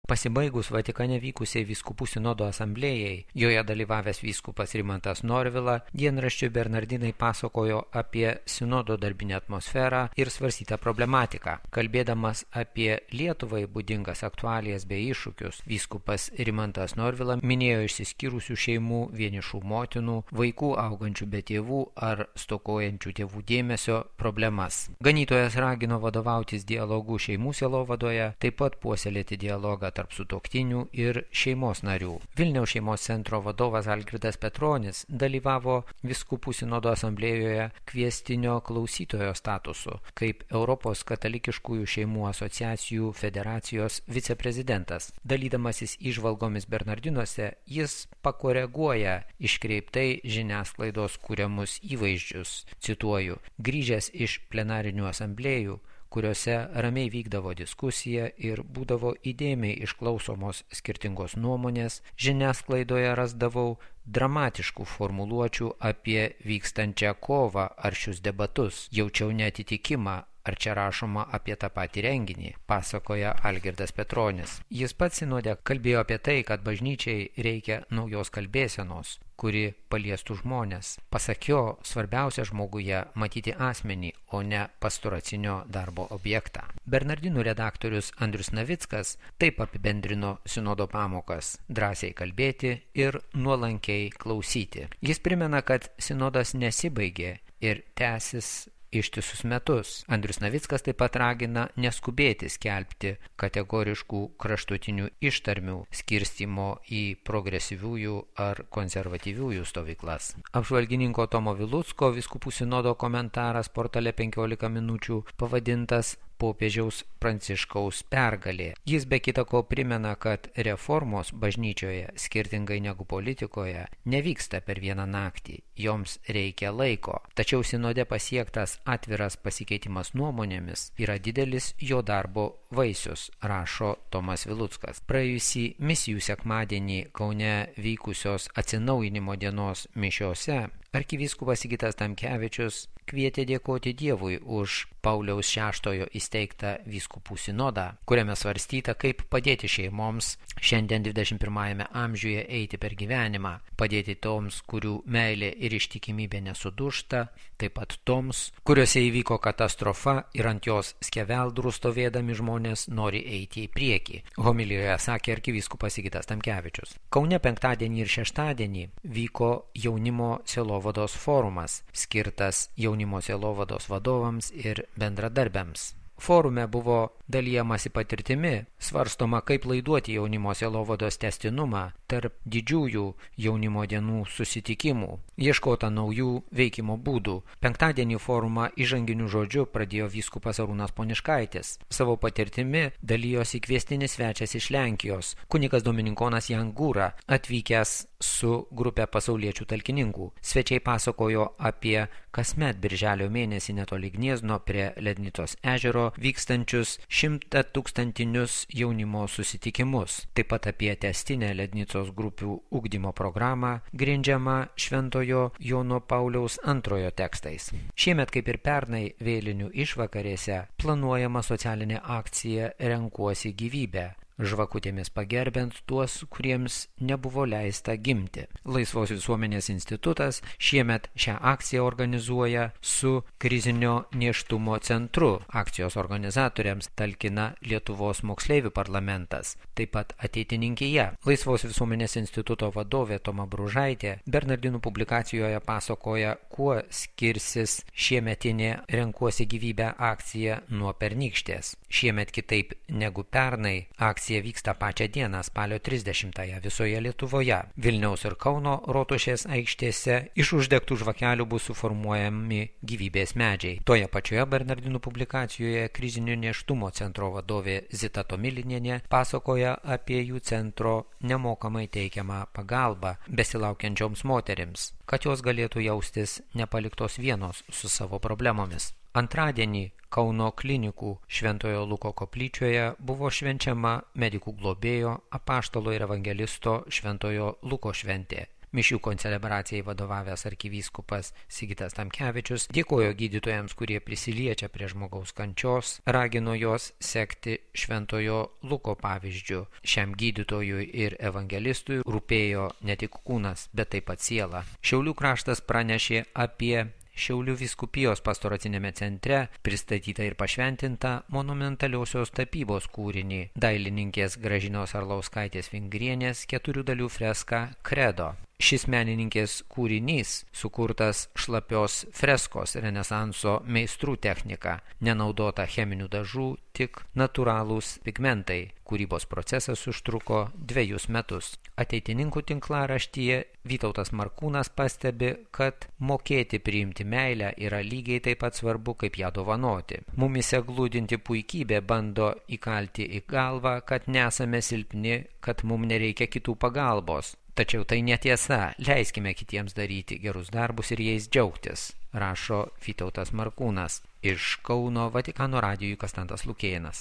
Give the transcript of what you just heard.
Pasibaigus Vatikane vykusiai vyskupų sinodo asamblėjai, joje dalyvavęs vyskupas Rimantas Norvila dienraščiui Bernardinai pasakojo apie sinodo darbinę atmosferą ir svarstytą problematiką. Kalbėdamas apie Lietuvai būdingas aktualijas bei iššūkius, vyskupas Rimantas Norvila minėjo išsiskyrusių šeimų, vienišų motinų, vaikų augančių be tėvų ar stokojančių tėvų dėmesio problemas. Ganytojas ragino vadovautis dialogu šeimų sielovadoje, taip pat puoselėti dialogą tarp sutuoktinių ir šeimos narių. Vilniaus šeimos centro vadovas Algirdas Petronis dalyvavo vyskupų sinodo asamblėjoje kviestinio klausytojo statusu, kaip Europos katalikiškųjų šeimų asociacijų federacijos viceprezidentas. Dalydamasis įžvalgomis Bernardinuose, jis pakoreguoja iškreiptai žiniasklaidos kuriamus įvaizdžius. Cituoju: grįžęs iš plenarinių asamblėjų, kuriuose ramiai vykdavo diskusija ir būdavo įdėmiai išklausomos skirtingos nuomonės, žiniasklaidoje rasdavau dramatiškų formuluočių apie vykstančią kovą ar šius debatus. Jaučiau neatitikimą, ar čia rašoma apie tą patį renginį, pasakoja Algirdas Petronis. Jis pats sinode kalbėjo apie tai, kad bažnyčiai reikia naujos kalbėsenos, kuri paliestų žmonės. Pasak jo, svarbiausia žmoguje matyti asmenį, o ne pastoracinio darbo objektą. Bernardinų redaktorius Andrius Navickas taip apibendrino sinodo pamokas: drąsiai kalbėti ir nuolankiai klausyti. Jis primena, kad sinodas nesibaigė ir tęsis ištisus metus. Andrius Navickas taip pat ragina neskubėti skelbti kategoriškų kraštutinių ištarmių skirstymo į progresyviųjų ar konservatyviųjų stovyklas. Apžvalgininko Tomo Vilucko vyskupų sinodo komentaras portale 15 minučių pavadintas Popiežiaus Pranciškaus pergalė. Jis be kita ko primena, kad reformos bažnyčioje, skirtingai negu politikoje, nevyksta per vieną naktį, joms reikia laiko. Tačiau sinode pasiektas atviras pasikeitimas nuomonėmis yra didelis jo darbo vaisius, rašo Tomas Viluckas. Praėjusį misijų sekmadienį Kaune vykusios atsinaujinimo dienos mišiose arkivyskupas Sigitas Tamkevičius kvietė dėkoti Dievui už Pauliaus VI įsteigtą vyskupų sinodą, kuriame svarstyta, kaip padėti šeimoms šiandien 21 amžiuje eiti per gyvenimą, padėti toms, kurių meilė ir ištikimybė nesudužta, taip pat toms, kuriuose įvyko katastrofa ir ant jos skeveldrų stovėdami žmonės nori eiti į priekį, homilijoje sakė arkivyskupas Sigitas Tamkevičius. Kaune penktadienį ir šeštadienį vyko jaunimo sielovados forumas, skirtas jaunimo sielovados vadovams ir bendradarbiams. Forume buvo dalijamasi patirtimi, svarstoma, kaip laiduoti jaunimo sielovados tęstinumą tarp didžiųjų jaunimo dienų susitikimų, ieškota naujų veikimo būdų. Penktadienį forumą įžanginiu žodžiu pradėjo vyskupas Arūnas Poniškaitis. Savo patirtimi dalijosi kviestinis svečias iš Lenkijos, kunigas dominikonas Jan Gūra, atvykęs su grupė pasauliečių talkininkų. Svečiai pasakojo apie kasmet birželio mėnesį netoli Gniezno prie Lednicos ežero vykstančius 100-tūkstantinius jaunimo susitikimus, taip pat apie tęstinę Lednicos grupių ugdymo programą, grindžiamą Šventojo Jono Pauliaus II tekstais. Šiemet, kaip ir pernai vėlinių išvakarėse, planuojama socialinė akcija Renkuosi gyvybę, žvakutėmis pagerbiant tuos, kuriems nebuvo leista gimti. Laisvos visuomenės institutas šiemet šią akciją organizuoja su krizinio nėštumo centru. Akcijos organizatoriams talkina Lietuvos moksleivių parlamentas, taip pat ateitininkija. Laisvos visuomenės instituto vadovė Toma Bružaitė Bernardinų publikacijoje pasakoja, kuo skirsis šiemetinė Renkuosi gyvybę akcija nuo pernykštės. Šiemet kitaip negu pernai akcija vyksta pačią dieną, spalio 30-ąją visoje Lietuvoje. Vilniaus ir Kauno rotušės aikštėse iš uždegtų žvakelių bus suformuojami gyvybės medžiai. Toje pačioje Bernardinų publikacijoje krizinio nėštumo centro vadovė Zita Tomilinienė pasakoja apie jų centro nemokamai teikiamą pagalbą besilaukiančioms moterims, kad jos galėtų jaustis nepaliktos vienos su savo problemomis. Antradienį Kauno klinikų Šventojo Luko koplyčioje buvo švenčiama medikų globėjo, apaštalo ir evangelisto Šventojo Luko šventė. Mišių koncelebracijai vadovavęs arkivyskupas Sigitas Tamkevičius dėkojo gydytojams, kurie prisiliečia prie žmogaus kančios, ragino juos sekti šventojo Luko pavyzdžiu. Šiam gydytojui ir evangelistui rūpėjo ne tik kūnas, bet taip pat siela. Šiaulių kraštas pranešė apie Šiaulių vyskupijos pastoracinėme centre pristatytą ir pašventintą monumentaliosios tapybos kūrinį dailininkės Gražinos Arlauskaitės Vingrienės 4 dalių freską Kredo. Šis menininkės kūrinys sukurtas šlapios freskos renesanso meistrų technika, nenaudota cheminių dažų, tik natūralūs pigmentai. Kūrybos procesas užtruko 2 metus. Ateitininkų tinklaraštyje Vytautas Markūnas pastebi, kad mokėti priimti meilę yra lygiai taip pat svarbu, kaip ją dovanoti. Mumise glūdinti puikybė bando įkalti į galvą, kad nesame silpni, kad mums nereikia kitų pagalbos. Tačiau tai netiesa, leiskime kitiems daryti gerus darbus ir jais džiaugtis, rašo Vytautas Markūnas. Iš Kauno Vatikano radijui Konstantas Lukėnas.